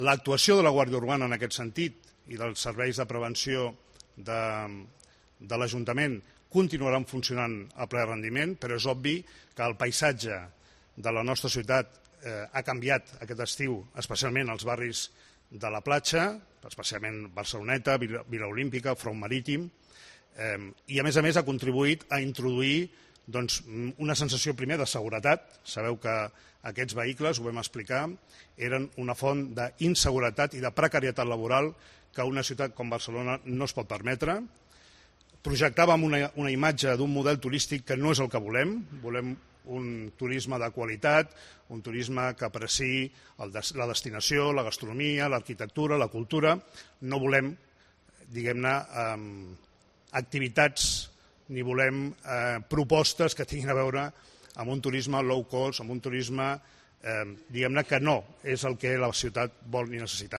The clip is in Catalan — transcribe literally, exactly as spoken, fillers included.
L'actuació de la Guàrdia Urbana en aquest sentit i dels serveis de prevenció de, de l'Ajuntament continuaran funcionant a ple rendiment, però és obvi que el paisatge de la nostra ciutat eh, ha canviat aquest estiu, especialment als barris de la platja, especialment Barceloneta, Vila, Vila Olímpica, Front Marítim, eh, i a més a més ha contribuït a introduir doncs, una sensació primer de seguretat. Sabeu que aquests vehicles, ho vam explicar, eren una font d'inseguretat i de precarietat laboral que una ciutat com Barcelona no es pot permetre. Projectàvem una, una imatge d'un model turístic que no és el que volem. Volem un turisme de qualitat, un turisme que apreciï el, la destinació, la gastronomia, l'arquitectura, la cultura. No volem, diguem-ne, eh, activitats ni volem eh, propostes que tinguin a veure amb un turisme low cost, amb un turisme, eh, diguem-ne, que no és el que la ciutat vol ni necessita.